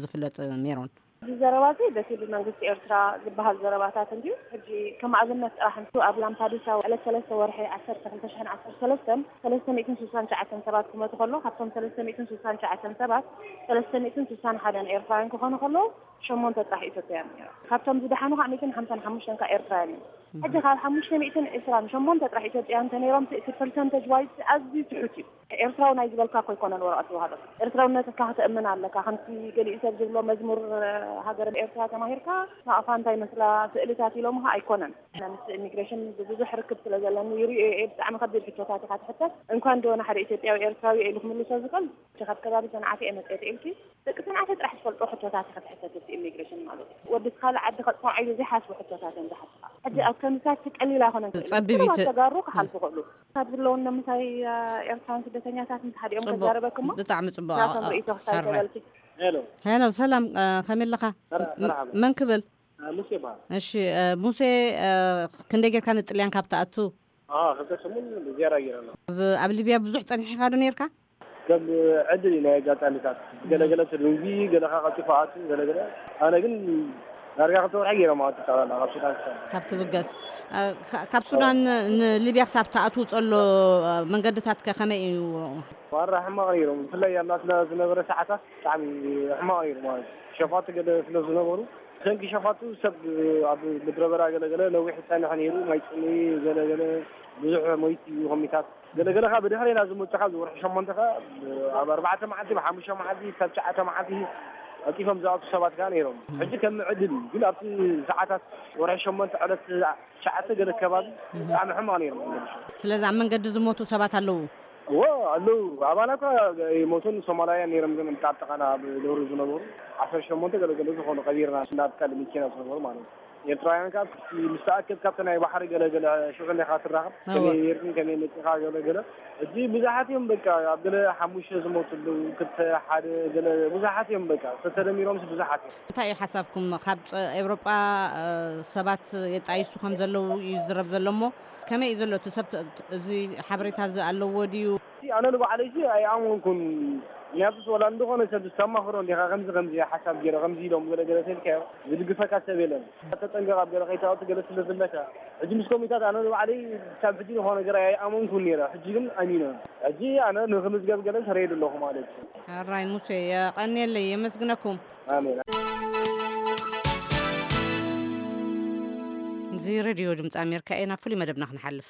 ዝፍለጥ? ሜሮን? እዚ ዘረባ እዚ በቲ ብመንግስቲ ኤርትራ ዝበሃል ዘረባታት እንድዩ። ሕጂ ከም ኣብነት ጥራሕ እንቱ ኣብ ላምፓዱሳ ዕለት ሰለስተ ወርሒ ዓሰርተ ክልተ ሽሕን ዓሰርተ ሰለስተን ሰለስተ ሚእትን ስሳን ትሽዓተን ሰባት ክመቱ ከሎ ካብቶም ሰለስተ ሚእትን ስሳን ትሽዓተን ሰባት ሰለስተ ሚእትን ስሳን ሓደን ኤርትራውያን ክኾኑ ከለዉ ሸሞንተ ጥራሕ ኢትዮጵያን እዮም። ካብቶም ዝደሓኑ ከዓ ሚእትን ሓምሳን ሓሙሽተን ከዓ ኤርትራውያን እዮም። ሕጂ ካብ ሓሙሽተ ሚእትን ዕስራን ሸሞንተ ጥራሕ ኢትዮጵያን እንተነይሮም እቲ ፐርሰንተጅ ዋይዝ ኣዝዩ ትሑት እዩ። ኤርትራዊ ናይ ዝበልካ እኮ ኣይኮነን ወረቐት ዝወሃበካ። ኤርትራውነትካ ከተእምን ኣለካ። ከምቲ ገሊኡ ሰብ ዝብሎ መዝሙር ሃገር ኤርትራ ተማሂርካ ናቕፋ እንታይ መስላ ስእልታት ኢሎምኻ ኣይኮነን። ምስ ኢሚግሬሽን ብዙሕ ርክብ ስለ ዘለኒ ይርእዮ እየ። ብጣዕሚ ከቢድ ሕቶታት ኢኻ ትሕተት። እንኳን ዶ ንሓደ ኢትዮጵያዊ ኤርትራዊ ኢሉ ክምልሶ ዝኽእል ካብ ከባቢ ሰንዓፈ እየ መፅኤ ኢልኪ ደቂ ሰንዓፈ ጥራሕ ዝፈልጦ ሕቶታት ኢኻ ትሕተት እቲ ኢሚግሬሽን ማለት እዩ። ወዲ ካልእ ዓዲ ከፅንዖ ኢሉ ዘይሓስቦ ሕቶታት እዮም ዝሓትኻ። ሕጂ ኣብ ከምዚታት ቀሊል ኣይኮነን ክእል እዩ። ጸቢብ እዩ እቲ ተጋሩ ክሓልፉ ይኽእሉ። ካብ ዝለውና ምሳይ ኤርትራን ስደተኛታት ምስ ሓዲኦም ጽቡቕ። ከዛረበክ እሞ ብጣዕሚ ጽቡቕ። ናቶም ኣ-፣ ርእይቶ ክሳብ ሓራይ። ተበልኪ። ሄሎ። ሄሎ፣ ሰላም፣ እ፣ ከመይ ኣለኻ? መርሓ-፣ ም-፣ መርሓባ። መን ክብል? እ፣ ሙሴ ይበሃል። እሺ፣ እ፣ ሙሴ፣ እ፣ ክንደይ ጌርካ ንጥልያን ካብ ትኣቱ? አ፣ ክልተ ሰሙን ዝያዳ ገይረ ኣለኹ። ኣብ፣ ኣብ ሊብያ ብዙሕ ጸኒሕካ ዶ ኔርካ? ከም ዕድል እዩ ናይ ኣጋጣሚታት። ገለገለ ተደንጉዩ፣ ገለኻ ቀልጢፉ ኣቱ፣ ገለገለ። ኣነ ግን ዳርጋ ክልተ ወርሒ ገይሮም ኣቱ ጠቕላላ ካብ ሱዳን ክሳብ። ካብ ትብገስ። እ፣ ካ-፣ ካብ ሱዳን ንሊብያ ክሳብ ትኣትዉ ዘሎ፣ እ፣ መንገድታት ከ ከመይ እዩ? ዋራ ሕማቕ ነይሮም። ብፍላይ ኣብ ናትና ዝነበረ ሰዓታት ብጣዕሚ ሕማቕ ነይሩ ማለት እዩ። ሸፋቱ ገለ ስለ ዝነበሩ፣ ብሰንኪ ሸፋቱ ሰብ ኣብ ምድረ በዳ ገለገለ ነዊሕ ዝጸንሐ ነይሩ። ማይ ጽምኢ ገለገለ ብዙሕ ሞይቱ እዩ ኮሚታት። ገለገለ ከኣ ብድሕሪና ዝመጹ ካብ ዝወርሒ ሸሞንተ ከኣ ኣብ ኣርባዕተ መዓልቲ፣ ብሓሙሽተ መዓልቲ፣ ክሳብ ትሽዓተ መዓልቲ ቀልጢፎም ዝኣቱ ሰባት ከኣ ነይሮም። ሕጂ ከም ዕድል እዩ። ግን ኣብቲ ሰዓታት ወርሒ ሸሞንተ ዕለት ትሽዓተ ገለ ከባቢ እህ። ብጣዕሚ ሕማቕ ነይሩ። ስለዚ ኣብ መንገዲ ዝሞቱ ሰባት ኣለዉ? እዎ፣ ኣለዉ። ኣባና እኳ ይሞቱን ሶማላውያን ነይሮም፣ ግን ኣብቲ ኣብ ጥቓና ኣብ ዶሩ ዝነበሩ ዓሰርተ ሸሞንተ ገለ ገለ ዝኾኑ ቀቢርና፣ ናብ ካልእ መኪና ዝነበሩ ማለት እዩ። ኤርትራውያን ከኣ ምስቲ ምስ ተኣከብ ካብቲ ናይ ባሕሪ ገለ ገለ ሽዑ እንዲኻ ትራኸብ። እዎ። ከመይ ኔርክን ከመይ መጺኻ ገለ ገለ። ሕጂ ብዙሓት እዮም በቃ፣ ኣብ ገለ ሓሙሽተ ዝሞቱ ኣለዉ፣ ክልተ፣ ሓደ ገለ ብዙሓት እዮም በቃ፣ ተተደሚሮምስ ብዙሓት እዮም። እንታይ እዩ ሓሳብኩም? ካብ ጸ-፣ ኤውሮጳ፣ እ፣ ሰባት የጣይሱ ከም ዘለዉ እዩ ዝዝረብ ዘሎ እሞ፣ ከመይ እዩ ዘሎ እቲ ሰብ ተ-፣ ተ-፣ እዚ ሓበሬታ እዚ ኣለዎ ድዩ? እቲ ኣነ ንባዕለይ እዚ ኣይኣመንኩን። ምክንያቱስ ወላ እንደኾነ ሰብ ዝተማኽሮ እንዲኻ፣ ከምዚ ከምዚ ሓሳብ ገይረ፣ ከምዚ ኢሎም ገለ ገለ ተልካዮ፣ ዝድግፈካ ሰብ የለን። ተጠንቀቕ ኣብ ገለ ከይትኣቱ ገለ ስለ ዝብለካ፣ ሕጂ ምስ ኮሚታት ኣነ ንባዕለይ ክሳብ ሕጂ ዝኾነ ነገር ኣይኣመንኩን ነይረ። ሕጂ ግን ኣሚነ። ሕጂ ኣነ ንክምዝገብ ገለ ሰረየሉ ኣለኹ ማለት እዩ። ሕራይ ሙሴ፣ የቐንየለይ፣ የመስግነኩም። ኣሜን። እዚ ሬድዮ ድምፂ ኣሜሪካ እዩ። ናብ ፍሉይ መደብና ክንሓልፍ።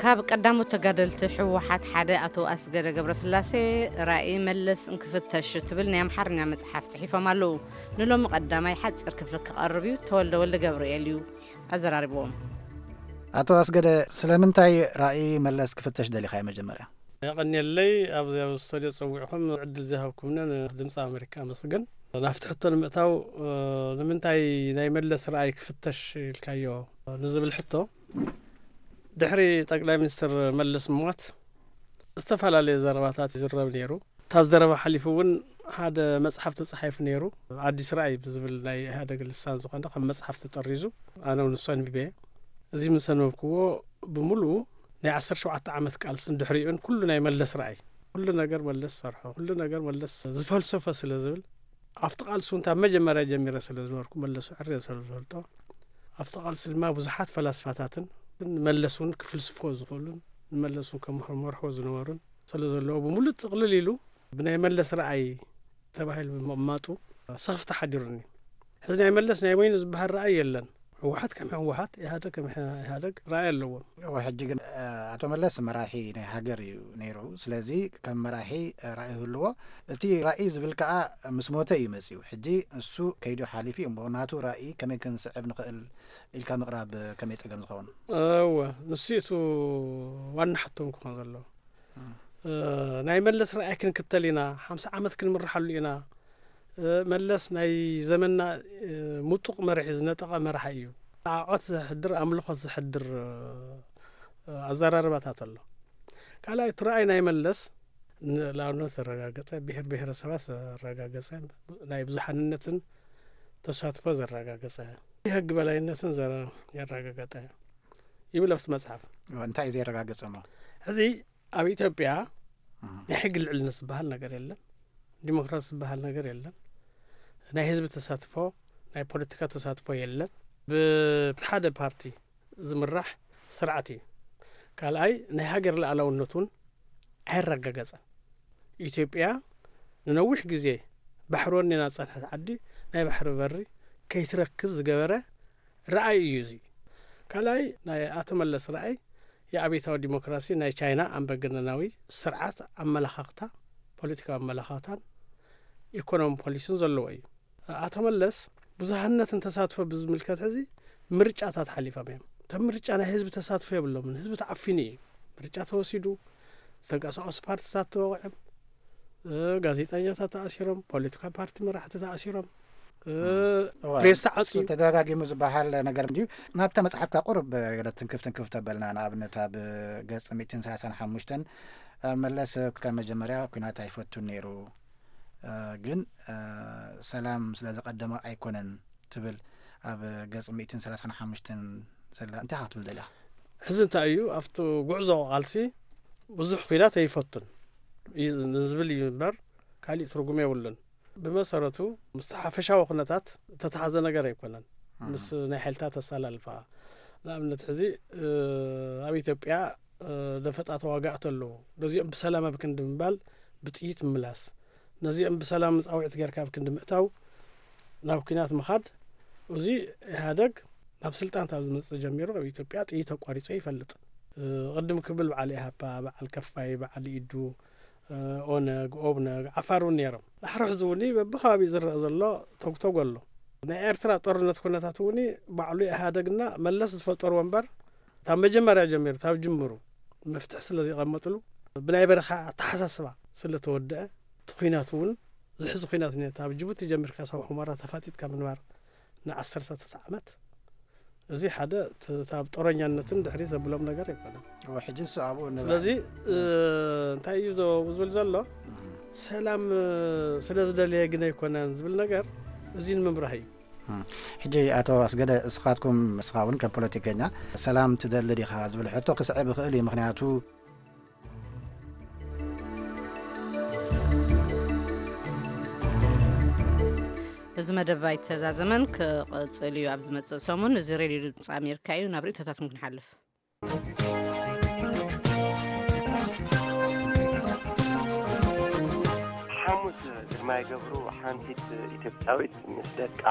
ካብ ቀዳሞት ተጋደልቲ ህወሓት ሓደ ኣቶ ኣስገደ ገብረስላሴ ራእይ መለስ እንክፍተሽ እትብል ናይ ኣምሓርኛ መጽሓፍ ጽሒፎም ኣለዉ። ንሎሚ ቀዳማይ ሓጺር ክፍሊ ክቐርብ እዩ። ተወልደ ወልደ ገብርኤል እዩ ኣዘራሪብዎም። ኣቶ ኣስገደ፣ ስለምንታይ ራእይ መለስ ክፍተሽ ደሊኻ? መጀመርያ የቐንየለይ፣ ኣብዚ ኣብ ስቱድዮ ጸዊዕኹም ዕድል ዝሃብኩምኒ ንድምፂ ኣሜሪካ ኣመስግን። ናብቲ ሕቶ ንምእታው፣ እ፣ ንምንታይ ናይ መለስ ራእይ ክፍተሽ ኢልካዮ ንዝብል ሕቶ፣ ድሕሪ ጠቅላይ ሚኒስትር መለስ ምሟት ዝተፈላለየ ዘረባታት ይዝረብ ነይሩ። ካብ ዘረባ ሓሊፉ እውን ሓደ መጽሓፍ ተጻሒፉ ነይሩ። ኣዲስ ራእይ ብዝብል ናይ ኢህኣደግ ልሳን ዝኾነ ከም መጽሓፍ ተጠሪዙ፣ ኣነ እውን ንሱ ኣንቢበ። እዚ ምስ ኣንበብክዎ፣ ብምሉኡ ናይ ዓሰርተ ሸውዓተ ዓመት ቃልስን ድሕሪኡን ኩሉ ናይ መለስ ራእይ፣ ኩሉ ነገር መለስ ዝሰርሖ፣ ኩሉ ነገር መለስ ዝፈልሰፎ ስለ ዝብል፣ ኣብቲ ቃልሲ እውን ካብ መጀመርያ ጀሚረ ስለ ዝነበርኩ፣ መለሱ ዕርየ ስለ ዝፈልጦ፣ ኣብቲ ቃልሲ ድማ ብዙሓት ፈላስፋታትን መለስ እውን ክፍልስፍዎ ዝኽእሉን ንመለስ እውን ከም መርሖ ዝነበሩን ስለ ዘለዎ፣ ብምሉእ ጥቕልል ኢሉ ብናይ መለስ ራእይ ተባሂሉ ብምቕማጡ ስኽፍታ ሓዲሩኒ። ሕዚ ናይ መለስ ናይ በይኑ ዝበሃል ራእይ የለን። ህወሓት ከም ህወሓት፣ ኢህኣደግ ከም ኢህኣደግ ራእይ ኣለዎም። እወ፣ ሕጂ ግን፣ እ፣ ኣቶ መለስ መራሒ ናይ ሃገር እዩ ነይሩ። ስለዚ ከም መራሒ ራእይ ህልዎ፣ እቲ ራእይ ዝብል ከዓ ምስ ሞተ እዩ መፅዩ። ሕጂ እሱ ከይዱ ሓሊፉ እዩ እሞ ናቱ ራእይ ከመይ ክንስዕብ ንኽእል ኢልካ ምቕራብ ከመይ ፀገም ዝኸውን? እወ፣ ንሱ እቲ ዋና ሕቶም ክኾን ዘለዎ። ናይ መለስ ራእይ ክንክተል ኢና፣ ሓምሳ ዓመት ክንምርሓሉ ኢና። መለስ ናይ ዘመንና ምጡቕ መርሒ፣ ዝነጠቐ መራሒ እዩ። ዓዖት ዘሕድር፣ ኣምልኾት ዘሕድር ኣዘራርባታት ኣሎ። ካልኣይ እቲ ራእይ ናይ መለስ ንልኣብነት ዘረጋገጸ፣ ብሔር ብሔረሰባት ዘረጋገጸ፣ ናይ ብዙሓንነትን ተሳትፎ ዘረጋገጸ፣ ሕጊ በላይነትን ዘረ- ያረጋገጠ ይብል ኣብቲ መጽሓፍ። እንታይ እዩ ዘረጋገጸ እሞ? ሕዚ ኣብ ኢትዮጵያ ናይ ሕጊ ልዕልነት ዝበሃል ነገር የለን። ዲሞክራሲ ዝበሃል ነገር የለን። ናይ ህዝቢ ተሳትፎ፣ ናይ ፖለቲካ ተሳትፎ የለን። ብሓደ ፓርቲ ዝምራሕ ስርዓት እዩ። ካልኣይ ናይ ሃገር ሉዓላውነት እውን ኣይረጋገጸን። ኢትዮጵያ ንነዊሕ ግዜ ባሕሪ ወኒና ዝጸንሐት ዓዲ ናይ ባሕሪ በሪ ከይትረክብ ዝገበረ ራእይ እዩ እዚ። ካልኣይ ናይ ኣቶ መለስ ራእይ የኣብዮታዊ ዲሞክራሲ ናይ ቻይና ኣምባገነናዊ ስርዓት ኣመለኻኽታ፣ ፖለቲካዊ ኣመለኻኽታን ኢኮኖሚ ፖሊሲን ዘለዎ እዩ። ኣቶ መለስ ብዙሃነትን ተሳትፎ ብዝምልከት ሕዚ ምርጫታት ሓሊፎም እዮም። እቶም ምርጫ ናይ ህዝቢ ተሳትፎ የብሎምን። ህዝቢ ተዓፊኑ እዩ። ምርጫ ተወሲዱ፣ ዝተንቀሳቐሱ ፓርቲታት ተወቂዖም፣ እ፣ ጋዜጠኛታት ተኣሲሮም፣ ፖለቲካ ፓርቲ መራሕቲ ተኣሲሮም፣ እ፣ እዋ፣ ፕሬስ ተዓፅዩ። ተደጋጊሙ ዝበሃል ነገር እንድዩ። ናብታ መፅሓፍካ ቁሩብ ገለ ትንክፍ ትንክፍ ተበልና፣ ንኣብነት ኣብ ገፅ ሚእትን ሰላሳን ሓሙሽተን መለስ ካብ መጀመርያ ኩናት ኣይፈቱን ነይሩ፣ እ፣ ግን፣ እ፣ ሰላም ስለ ዘቐደመ ኣይኮነን ትብል ኣብ ገፅ ሚእትን ሰላሳን ሓሙሽተን ዘላ። እንታይ ኢኻ ክትብል ደሊኻ? ሕዚ እንታይ እዩ ኣብቲ ጉዕዞ ቃልሲ ብዙሕ ኩናት ኣይፈቱን እዩ ንዝብል እዩ እምበር ካሊእ ትርጉም የብሉን። ብመሰረቱ ምስቲ ሓፈሻዊ ኩነታት እተተሓዘ ነገር ኣይኮነን። ምስ ናይ ሓይልታት ኣሰላልፋ ንኣብነት ሕዚ፣ እ፣ ኣብ ኢትዮጵያ፣ እ፣ ደፈጣ ተዋጋእቲ ኣለዉ። ነዚኦም ብሰላም ኣብ ክንዲ ምባል ብጥይት ምምላስ፣ ነዚኦም ብሰላም ፃውዒት ጌርካ ኣብ ክንዲ ምእታው ናብ ኩናት ምኻድ። እዚ ኢህኣደግ ናብ ስልጣን ካብ ዝመፅእ ጀሚሩ ኣብ ኢትዮጵያ ጥይት ኣቋሪፁ ይፈልጥ። እ፣ ቅድም ክብል በዓል ኢሃፓ፣ በዓል ከፋይ፣ በዓል ኢዱ፣ እ፣ ኦነግ፣ ኦብነግ፣ ዓፋር እውን ነይሮም። ዳሕሪ ሕዚ እውን በብከባቢኡ ዝረአ ዘሎ ተጉተጉ ኣሎ። ናይ ኤርትራ ጦርነት ኩነታት እውን ባዕሉ ኢህኣደግና መለስ ዝፈጠርዎ እምበር፣ ካብ መጀመርያ ጀሚሩ፣ ካብ ጅምሩ መፍትሒ ስለ ዘቐመጥሉ፣ ብናይ በረኻ ኣተሓሳስባ ስለ ተወደአ፣ እቲ ኩናት እውን ዝሕዚ ኩናት ነይሩ። ካብ ጅቡቲ ጀሚርካ ሳብ ሑመራ ተፋጢጥካ ምንባር ንዓሰርተ ዓመት፣ እዚ ሓደ ት-፣ ካብ ጦረኛነትን ድሕሪ ዘብሎም ነገር ኣይኮነን። እወ፣ ሕጂ ንሱ ኣብኡ ንብዓል። ስለዚ፣ እ፣ እንታይ እዩ ዘ-፣ ዝብል ዘሎ? እም። ሰላም፣ እ፣ ስለ ዝደለየ ግን ኣይኮነን ዝብል ነገር እዚ ንምብራህ እዩ። እም። ሕጂ ኣቶ ኣስገደ፣ እስኻትኩም፣ እስኻ እውን ከም ፖለቲከኛ ሰላም ትደሊ ዲኻ ዝብል ሕቶ ክስዕብ ይኽእል እዩ። ምኽንያቱ እዚ መደብ ኣይተዛዘመን፣ ክቕጽል እዩ ኣብ ዝመጽእ ሰሙን። እዚ ሬድዮ ድምፂ ኣሜሪካ እዩ። ናብ ርእይቶታትኩም ክንሓልፍ። ሓሙስ ግርማይ ገብሩ፣ ሓንቲት ኢትዮጵያዊት ምስ ደቃ፣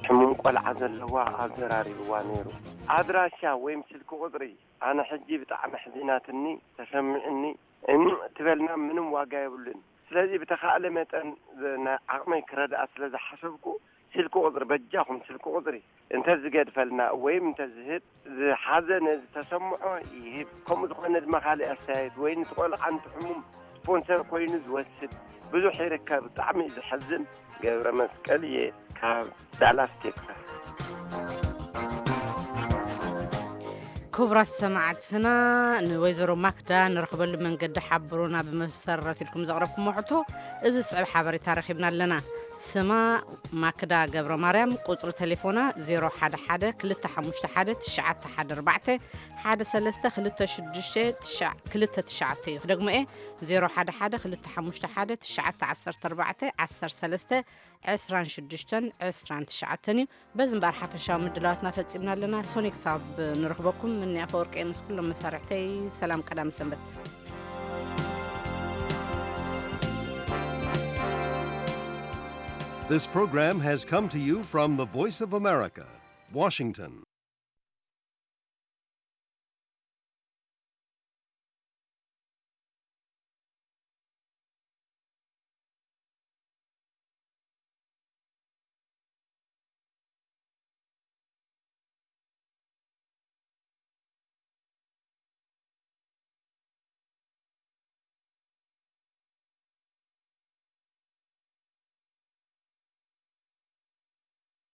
ሕሙም ቆልዓ ዘለዋ፣ ኣዘራሪብዋ ነይሩ። ኣድራሻ ወይም ስልኪ ቁጽሪ፣ ኣነ ሕጂ ብጣዕሚ ኣሕዚናትኒ፣ ተሰሚዑኒ፣ እም ትበልና ምንም ዋጋ የብሉን። ስለዚ ብተኻእለ መጠን ዝ-፣ ናይ ዓቕመይ ክረድኣ ስለ ዝሓሰብኩ፣ ስልኪ ቁጽሪ፣ በጃኹም ስልኪ ቁጽሪ እንተ ዝገድፈልና ወይም እንተ ዝህብ፣ ዝሓዘነ ዝተሰምዖ ይህብ። ከምኡ ዝኾነ ድማ ካልእ ኣስተያየት ወይ ነቲ ቆልዓ ነቲ ሕሙም ስፖንሰር ኮይኑ ዝወስድ ብዙሕ ይርከብ። ብጣዕሚ እዩ ዘሕዝን። ገብረ መስቀል እየ ካብ ዳላስ ቴክሳስ። ክቡራት ሰማዕትና፣ ንወይዘሮ ማክዳ ንረኽበሉ መንገዲ ሓብሩና ብምሰረት ኢልኩም ዘቕረብኩሞ ሕቶ፣ እዚ ዝስዕብ ሓበሬታ ረኺብና ኣለና። ስማ ማክዳ ገብረ ማርያም፣ ቁጽሪ ተሌፎና ዜሮ ሓደ ሓደ ክልተ ሓሙሽተ ሓደ ትሽዓተ ሓደ ኣርባዕተ፣ ሓደ ሰለስተ ክልተ ሽዱሽተ ትሽዓ ክልተ ትሽዓተ እዩ። ክደግሞ እየ፣ ዜሮ ሓደ ሓደ ክልተ ሓሙሽተ ሓደ ትሽዓተ ዓሰርተ ኣርባዕተ ዓሰርተ ሰለስተ ዕስራን ሽዱሽተን ዕስራን ትሽዓተን እዩ። በዚ እምበኣር ሓፈሻዊ ምድላዋትና ፈጺምና ኣለና። ሶኒ ክሳብ ንረኽበኩም፣ ምኒ ኣፈወርቂ ምስ ኩሎም መሳርሕተይ ሰላም ቀዳም ሰንበት። This program has come to you from the Voice of America, Washington.